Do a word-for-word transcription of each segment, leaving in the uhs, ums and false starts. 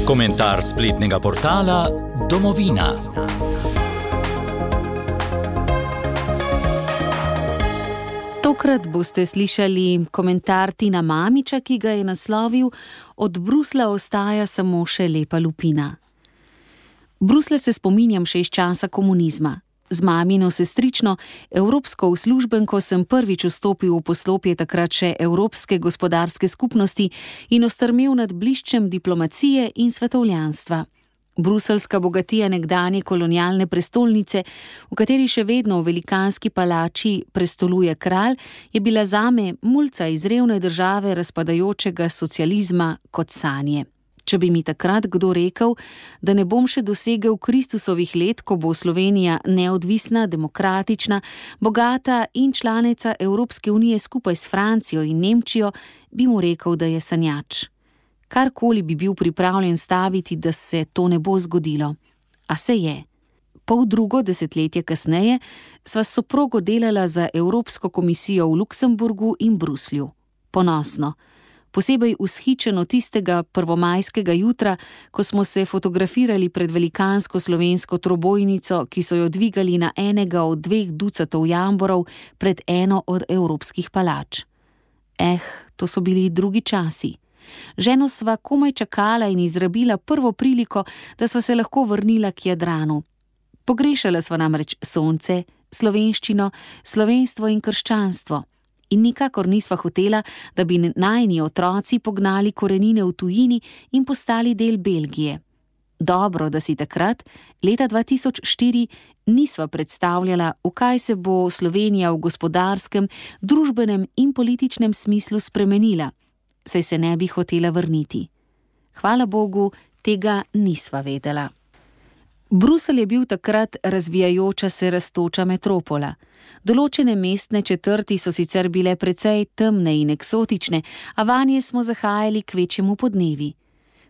Komentar spletnega portala Domovina. Tokrat boste slišali komentar Tina Mamića, ki ga je naslovil Od Bruslja ostaja samo še lepa lupina. Bruslja se spominjam še iz časa komunizma. Z mamino sestrično, evropsko uslužbenko, sem prvič vstopil v poslopje takrat še Evropske gospodarske skupnosti in ostrmel nad bliščem diplomacije in svetovljanstva. Bruseljska bogatija nekdanje kolonialne prestolnice, v kateri še vedno v velikanski palači prestoluje kralj, je bila zame mulca iz revne države razpadajočega socializma kot sanje. Če bi mi takrat kdo rekel, da ne bom še dosegel Kristusovih let, ko bo Slovenija neodvisna, demokratična, bogata in članica Evropske unije skupaj s Francijo in Nemčijo, bi mu rekel, da je sanjač. Karkoli bi bil pripravljen staviti, da se to ne bo zgodilo. A se je. Pol drugo desetletje kasneje sva s soprogo delala za Evropsko komisijo v Luksemburgu in Bruslju. Ponosno. Posebej vzhičeno tistega prvomajskega jutra, ko smo se fotografirali pred velikansko slovensko trobojnico, ki so jo dvigali na enega od dveh ducatov jamborov pred eno od evropskih palač. Eh, to so bili drugi časi. Ženo sva komaj čakala in izrabila prvo priliko, da sva se lahko vrnila k Jadranu. Pogrešala sva namreč sonce, slovenščino, slovenstvo in krščanstvo. In nikakor nisva hotela, da bi najini otroci pognali korenine v tujini in postali del Belgije. Dobro, da si takrat, leta dva tisoč štiri, nisva predstavljala, v kaj se bo Slovenija v gospodarskem, družbenem in političnem smislu spremenila, saj se ne bi hotela vrniti. Hvala Bogu, tega nisva vedela. Bruselj je bil takrat razvijajoča se rastoča metropola. Določene mestne četrti so sicer bile precej temne in eksotične, a vanje smo zahajali kvečjemu podnevi.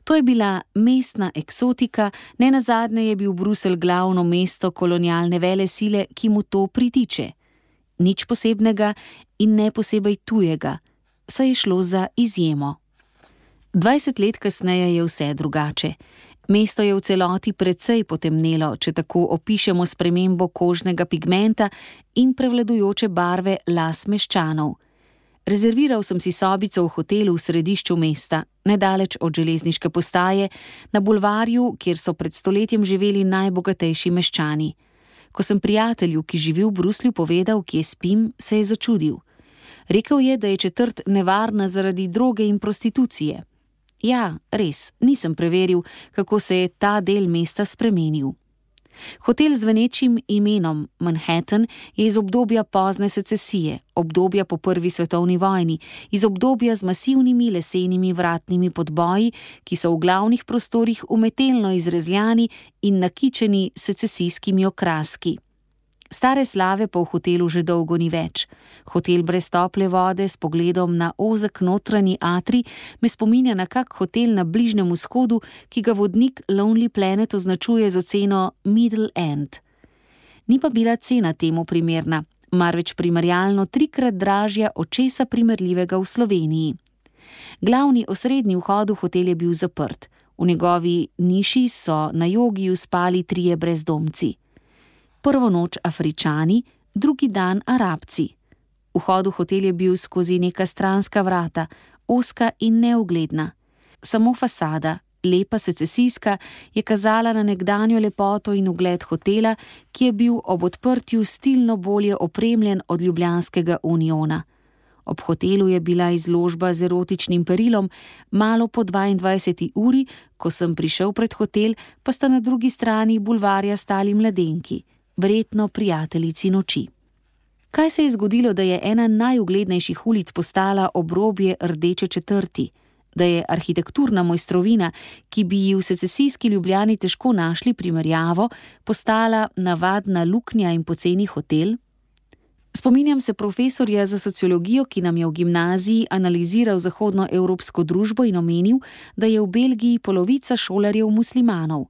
To je bila mestna eksotika, nenazadnje je bil Bruselj glavno mesto kolonialne velesile, ki mu to pritiče. Nič posebnega in ne posebej tujega, saj je šlo za izjemo. Dvajset let kasneje je vse drugače. Mesto je v celoti precej potemnelo, če tako opišemo spremembo kožnega pigmenta in prevladujoče barve las meščanov. Rezerviral sem si sobico v hotelu v središču mesta, nedaleč od železniške postaje, na bulvarju, kjer so pred stoletjem živeli najbogatejši meščani. Ko sem prijatelju, ki živi v Bruslju, povedal, kje spim, se je začudil. Rekel je, da je četrt nevarna zaradi droge in prostitucije. Ja, res, nisem preveril, kako se je ta del mesta spremenil. Hotel z zvenečim imenom Manhattan je iz obdobja pozne secesije, obdobja po prvi svetovni vojni, iz obdobja z masivnimi lesenimi vratnimi podboji, ki so v glavnih prostorih umetelno izrezljani in nakičeni s secesijskimi okraski. Stare slave pa v hotelu že dolgo ni več. Hotel brez tople vode s pogledom na ozek notranji atrij me spominja na kak hotel na Bližnjem vzhodu, ki ga vodnik Lonely Planet označuje z oceno Middle End. Ni pa bila cena temu primerna, marveč primerjalno trikrat dražja od česa primerljivega v Sloveniji. Glavni osrednji vhod v hotel je bil zaprt. V njegovi niši so na jogiju spali trije brezdomci. Prvo noč Afričani, drugi dan Arabci. Vhod v hotel je bil skozi neka stranska vrata, ozka in neugledna. Samo fasada, lepa secesijska, je kazala na nekdanjo lepoto in ugled hotela, ki je bil ob odprtju stilno bolje opremljen od ljubljanskega Uniona. Ob hotelu je bila izložba z erotičnim perilom, malo po dvaindvajseti uri, ko sem prišel pred hotel, pa sta na drugi strani bulvarja stali mladenki. Verjetno prijateljici noči. Kaj se je zgodilo, da je ena najuglednejših ulic postala obrobje rdeče četrti? Da je arhitekturna mojstrovina, ki bi ji v secesijski Ljubljani težko našli primerjavo, postala navadna luknja in poceni hotel? Spominjam se profesorja za sociologijo, ki nam je v gimnaziji analiziral zahodnoevropsko družbo in omenil, da je v Belgiji polovica šolarjev muslimanov.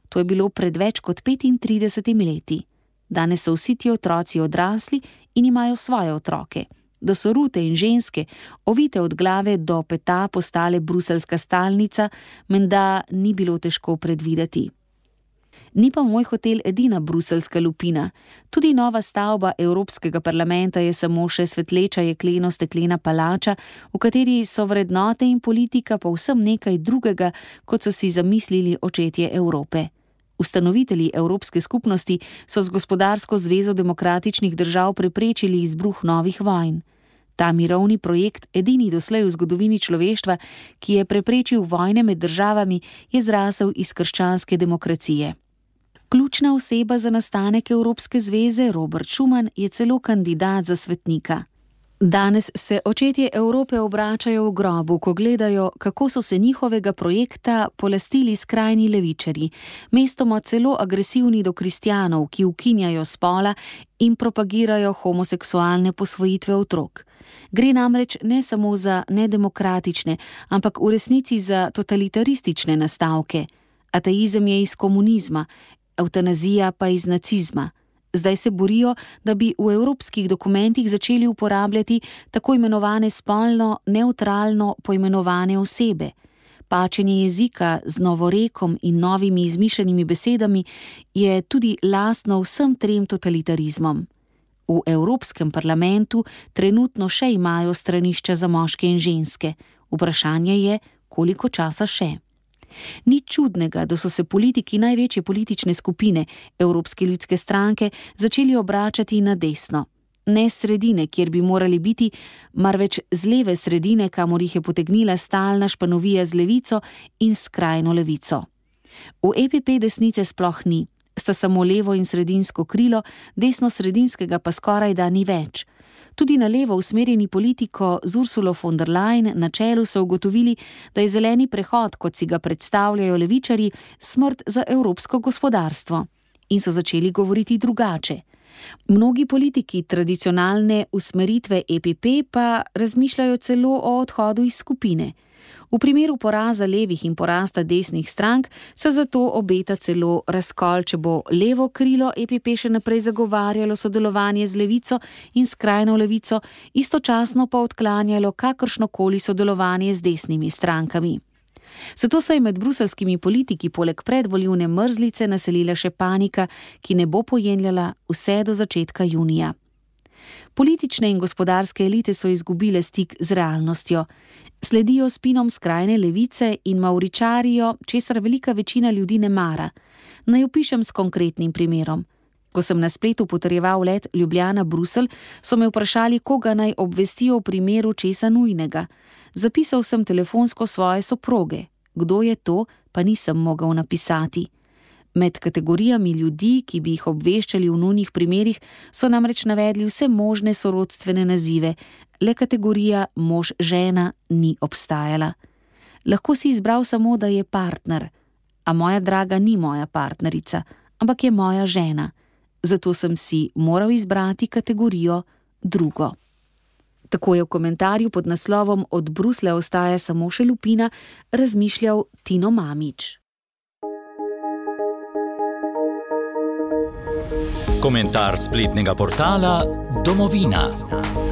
To je bilo pred več kot petintridesetimi leti. Danes so vsi ti otroci odrasli in imajo svoje otroke. Da so rute in ženske, ovite od glave do peta, postale bruseljska stalnica, menda ni bilo težko predvideti. Ni pa moj hotel edina bruseljska lupina. Tudi nova stavba Evropskega parlamenta je samo še svetleča jekleno-steklena palača, v kateri so vrednote in politika povsem nekaj drugega, kot so si zamislili očetje Evrope. Ustanovitelji Evropske skupnosti so z Gospodarsko zvezo demokratičnih držav preprečili izbruh novih vojn. Ta mirovni projekt, edini doslej v zgodovini človeštva, ki je preprečil vojne med državami, je zrasel iz krščanske demokracije. Ključna oseba za nastanek Evropske zveze, Robert Schuman, je celo kandidat za svetnika. Danes se očetje Evrope obračajo v grobu, ko gledajo, kako so se njihovega projekta polastili skrajni levičarji, mestoma celo agresivni do kristjanov, ki ukinjajo spola in propagirajo homoseksualne posvojitve otrok. Gre namreč ne samo za nedemokratične, ampak v resnici za totalitaristične nastavke. Ateizem je iz komunizma, evtanazija pa iz nacizma. Zdaj se borijo, da bi v evropskih dokumentih začeli uporabljati tako imenovane spolno nevtralno poimenovane osebe. Pačenje jezika z novorekom in novimi izmišljenimi besedami je tudi lastno vsem trem totalitarizmom. V Evropskem parlamentu trenutno še imajo stranišča za moške in ženske. Vprašanje je, koliko časa še. Ni čudnega, da so se politiki največje politične skupine, Evropske ljudske stranke, začeli obračati na desno. Ne sredine, kjer bi morali biti, marveč z leve sredine, kamor jih je potegnila stalna španovija z levico in skrajno levico. V E P P desnice sploh ni, sta samo levo in sredinsko krilo, desno-sredinskega pa skoraj da ni več. Tudi na levo usmerjeni politiko z Ursulo von der Leyen na čelu so ugotovili, da je zeleni prehod, kot si ga predstavljajo levičarji, smrt za evropsko gospodarstvo. In so začeli govoriti drugače. Mnogi politiki tradicionalne usmeritve E P P pa razmišljajo celo o odhodu iz skupine. V primeru poraza levih in porasta desnih strank se zato obeta celo razkol, če bo levo krilo E P P še naprej zagovarjalo sodelovanje z levico in skrajno levico, istočasno pa odklanjalo kakršnokoli sodelovanje z desnimi strankami. Zato se je med bruseljskimi politiki poleg predvolilne mrzlice naselila še panika, ki ne bo pojenjala vse do začetka junija. Politične in gospodarske elite so izgubile stik z realnostjo. Sledijo spinom skrajne levice in mauričarijo, česar velika večina ljudi ne mara. Naj opišem s konkretnim primerom. Ko sem na spletu potrjeval let Ljubljana-Bruselj, so me vprašali, koga naj obvestijo v primeru česa nujnega. Zapisal sem telefonsko svoje soproge. Kdo je to, pa nisem mogel napisati. Med kategorijami ljudi, ki bi jih obveščali v nujnih primerih, so namreč navedli vse možne sorodstvene nazive, le kategorija mož-žena ni obstajala. Lahko si izbral samo, da je partner, a moja draga ni moja partnerica, ampak je moja žena. Zato sem si moral izbrati kategorijo drugo. Tako je v komentarju pod naslovom Od Bruslja ostaja samo še lupina razmišljal Tino Mamić. Komentar spletnega portala Domovina.